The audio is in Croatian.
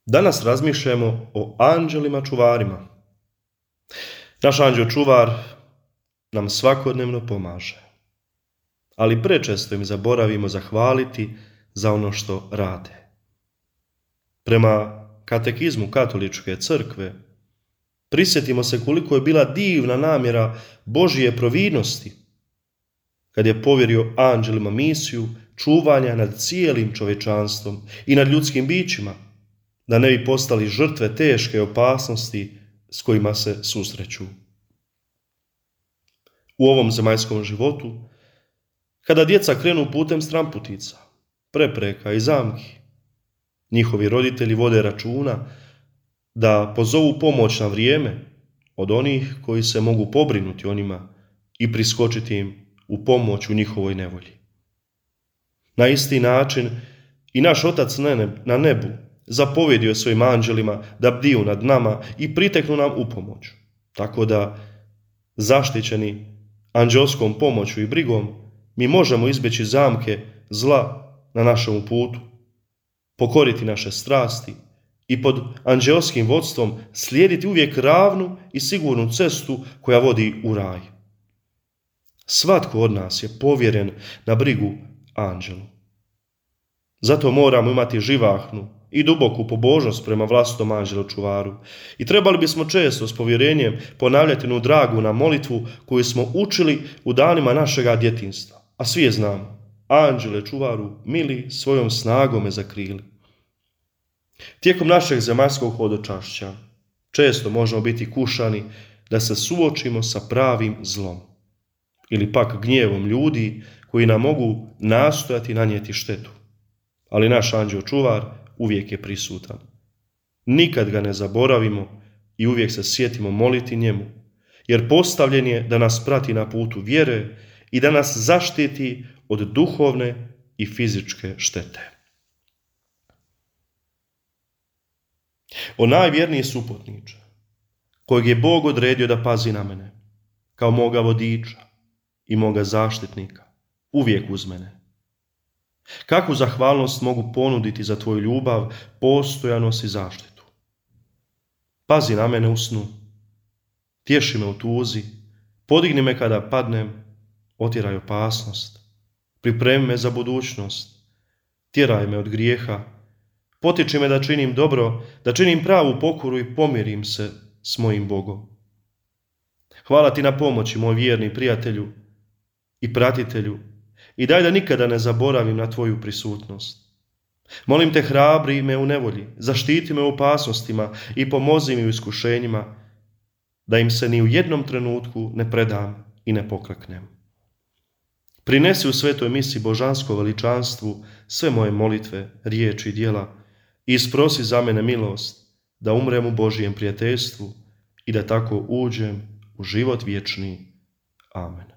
Danas razmišljamo o anđelima čuvarima. Naš anđeo čuvar nam svakodnevno pomaže, ali prečesto im zaboravimo zahvaliti za ono što rade. Prema katekizmu Katoličke crkve, prisjetimo se koliko je bila divna namjera Božje providnosti kad je povjerio anđelima misiju čuvanja nad cijelim čovječanstvom i nad ljudskim bićima, da ne bi postali žrtve teške opasnosti s kojima se susreću. U ovom zemaljskom životu, kada djeca krenu putem stranputica, prepreka i zamki, njihovi roditelji vode računa da pozovu pomoć na vrijeme od onih koji se mogu pobrinuti o njima i priskočiti im u pomoć u njihovoj nevolji. Na isti način i naš Otac na nebu zapovjedio je svojim anđelima da bdiju nad nama i priteknu nam u pomoć, tako da, zaštićeni anđelskom pomoću i brigom, mi možemo izbjeći zamke zla na našem putu, pokoriti naše strasti i pod anđelskim vodstvom slijediti uvijek ravnu i sigurnu cestu koja vodi u raj. Svatko od nas je povjeren na brigu anđelu. Zato moramo imati živahnu i duboku pobožnost prema vlastitom anđelu čuvaru i trebali bismo često s povjerenjem ponavljati onu dragu na molitvu koju smo učili u danima našega djetinjstva, a svi je znamo: anđele čuvaru mili, svojom snagom me zakrili. Tijekom našeg zemaljskog hodočašća često možemo biti kušani da se suočimo sa pravim zlom ili pak gnjevom ljudi koji nam mogu nastojati nanijeti štetu. Ali naš anđeo čuvar uvijek je prisutan. Nikad ga ne zaboravimo i uvijek se sjetimo moliti njemu, jer postavljen je da nas prati na putu vjere i da nas zaštiti od duhovne i fizičke štete. O najvjerniji suputniče, kojeg je Bog odredio da pazi na mene, kao moga vodiča i moga zaštitnika, uvijek uz mene. Kakvu zahvalnost mogu ponuditi za tvoju ljubav, postojanost i zaštitu? Pazi na mene u snu, tješi me u tuzi, podigni me kada padnem, otjeraj opasnost, pripremi me za budućnost, tjeraj me od grijeha, potiči me da činim dobro, da činim pravu pokoru i pomirim se s mojim Bogom. Hvala ti na pomoći, moj vjerni prijatelju i pratitelju, i daj da nikada ne zaboravim na tvoju prisutnost. Molim te, hrabri me u nevolji, zaštiti me u opasnostima i pomozi mi u iskušenjima, da im se ni u jednom trenutku ne predam i ne pokleknem. Prinesi u svetoj misi božansko veličanstvu sve moje molitve, riječi i djela i isprosi za mene milost da umrem u Božijem prijateljstvu i da tako uđem u život vječni. Amen.